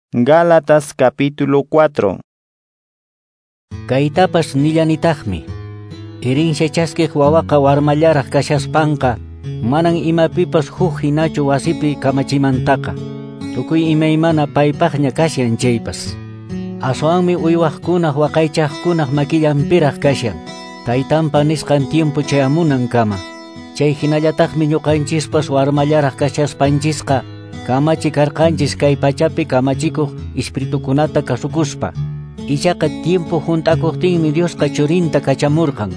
Gálatas capítulo 4. Kaytapas nillanitaqmi. Herencia chaskiq wawaqa warmallaraq kashaspanqa manan imapipas huk hinachu wasipi kamachimantaqa. Tukuy imaymana paypaqña kashan chaypas. Aswanmi uywaqkunaq waqaychaqkunaq makillanpiraq kashan. Taytanpa nisqan tiempo chayamunankama. Chay hinallataqmi ñuqanchispas warmallaraq kashaspanchisqa kamachi karqanchis kay pachapi kamachikuq espiritukunata kasukuspa. Ichaqa tiempo hunt'akuqtinmi Diosqa churinta kachamurqan.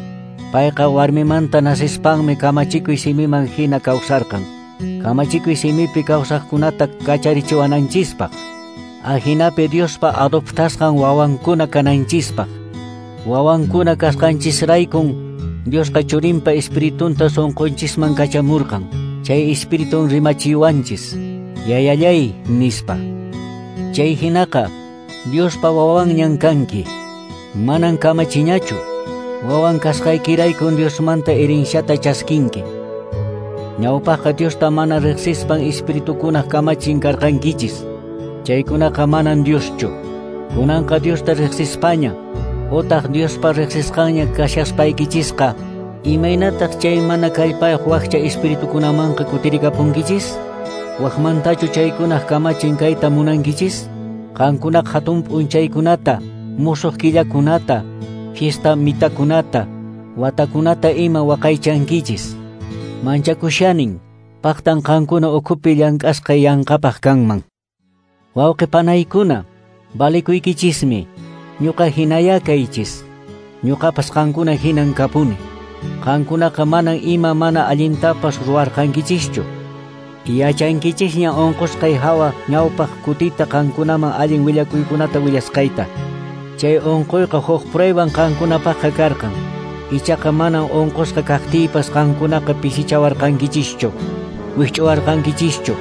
Payqa warmimanta nasispanmi kamachikuy simiman hina kawsarqan. Kamachikuy simipi kawsaqkunata kacharichiwananchispaq. Ahinapi Diospa adoptasqan wawankuna kananchispaq. Wawankuna kasqanchisraykun Diosqa churinpa espiritunta sunqunchisman kachamurqan. Chay espiritun rimachiwanchis. Yayallay nispa. Chay hinaqa Diospa wawanñan kanki. Manan kamachiñachu. Wawan kasqaykiraykun Diosmanta herenciata chaskinki. Ñawpaqqa Diosta mana riqsispan espiritukunaq kamachin karqankichis. Chaykunaqa manan Dioschu. Kunanqa Diosta riqsispaña utaq Diospa riqsisqanña kashaspaykichisqa imaynataq chay mana kallpayuq wakcha espiritukunamanqa kutirikapunkichis? Waqmantachu chaykunaq kamachin kayta munankichis? Qankunaq hatun p'unchaykunata, musuq killakunata, fiesta mitakunata, watakunata ima waqaychankichis. Manchakushanin, paqtan qankuna ukhupi llank'asqay yanqapaq kanman. Wawqi panaykuna, valikuykichismi, ñuqa hinaya kaychis. Ñuqapas qankuna hinan kapuni. Qankunaqa manan ima mana allintapas ruwarqankichischu. Yachankichisña unqusqay hawa ñawpaq kutita qankunaman allin willakuykunata willasqayta. Chay unquyqa huk prueban qankunapaqqa karqan. Ichaqa manan unqusqa kaqtiypas qankunaqa pisichawarqankichischu, wikch'uwarqankichischu.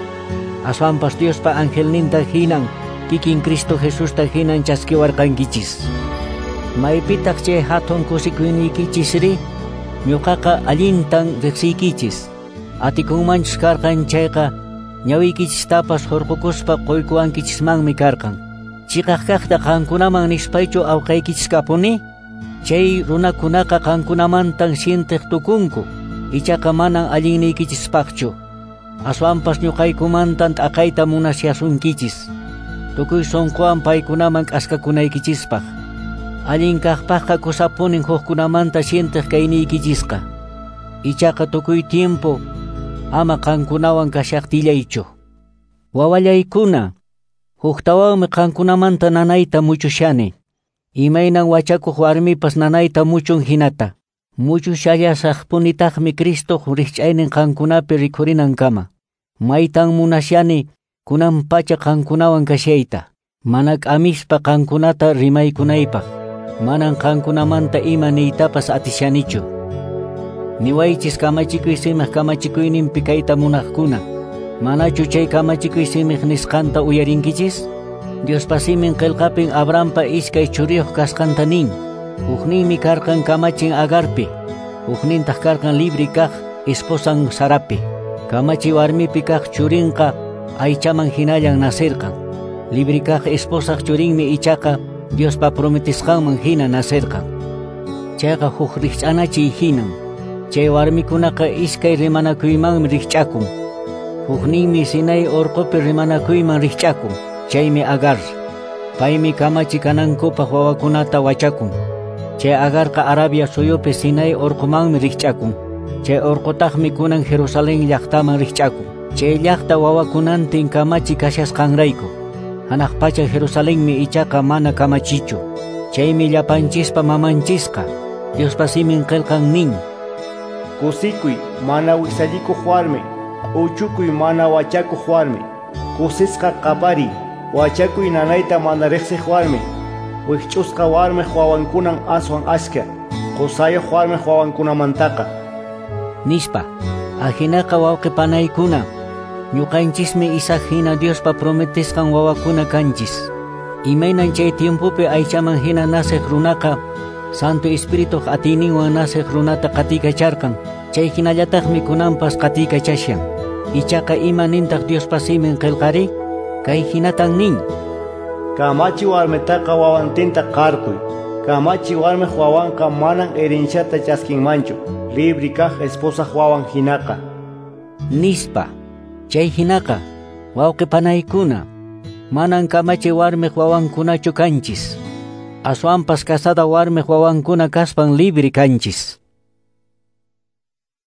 Aswanpas Diospa angelninta hinan, kikin Cristo Jesusta hinan chaskiwarqankichis. Maypitaq chay hatun kusikuyniykichis ñuqaqa allintan riqsiykichis. Atikunmanchus karqan chayqa ñawiykichistapas hurqukuspa quykuwankichismanmi karqan. Chiqaq kaqta qankunaman nispaychu awqaykichis kapuni? Chay runakunaqa qankunamantan sientiq tukunku, ichaqa manan allinniykichispaqchu. Aswanpas ñuqaykumantan t'aqayta munashasunkichis. Tukuy sunquwan paykunaman k'askakunaykichispaq. Allin kaqpaqqa kusapunin hukkunamanta sientiq kayniykichisqa. Ichaqa tukuy tiempo ama qankunawan kashaqtillaychu. Wawallaykuna, huktawanmi qankunamanta nanayta muchushani. Imaynan wachakuq warmipas nanayta muchun hinata. Muchushallasaqpunitaqmi Cristoq rikch'aynin qankunapi rikhurinankama. Maytan munashani kunan pacha qankunawan kashayta. Mana k'amispa qankunata rimaykunaypaq. Manan qankunamanta ima niytapas atishanichu. Niwaychis kamachikuy simiq kamachikuyninpi kayta munaqkuna. Manachu chay kamachikuy simiq nisqanta uyarinkichis? Diospa simin qillqapin Abrahampa iskay churiyuq kasqanta nin. Hukninmi karqan kamachin Agarpi, huknintaq karqan libre kaq esposan Sarapi. Kamachi warmipi kaq churinqa aychaman hinallan nasirqan. Libre kaq esposaq churinmi ichaqa Diospa prometisqanman hina nasirqan. Chayqa huk rikch'anachiy hinan. Chay warmikunaqa iskay rimanakuymanmi rikch'akun. Hukninmi Sinai urqupi rimanakuyman rikch'akun. Chaymi Agar. Paymi kamachi kanankupaq wawakunata wachakun. Chay Agarqa Arabia suyupi Sinai urqumanmi rikch'akun. Chay urqutaqmi kunan Jerusalén llaqtaman rikch'akun. Chay llaqta wawakunantin kamachi kashasqanrayku. Hanaq pacha Jerusalenmi ichaqa mana kamachichu. Chaymi llapanchispa mamanchisqa. Diospa simin qillqan nin. Kusikuy mana wiksallikuq warmi, uchukuy mana wachakuq warmi, kusisqa qapariy, wachakuy nanayta mana riqsiq warmi, wikch'usqa warmiq wawankunan aswan ashka, qusayuq warmiq wawankunamantaqa. Nispa, ahinaqa wawqi panaykuna, ñuqanchismi Isaac hina Diospa prometisqan wawakuna kanchis. Imaynan chay tiempopi aychaman hina nasiq runaqa Santo Espirituq atiyninwan nasiq runata qatikacharqan. Chay hinallataqmi kunanpas qatikachashan. Ichaqa ima nintaq Diospa simin qillqari? Kay hinatan nin. Kamachi warmitaqa wawantinta qarquy. Kamachi warmiq wawanqa manan herenciata chaskinmanchu, libre kaq esposaq wawan hinaqa. Nispa. Chay hinaqa, wawqi panaykuna, manan kamachi warmiq wawankunachu kanchis. Aswanpas casada warmiq wawankuna kaspan libre kanchis.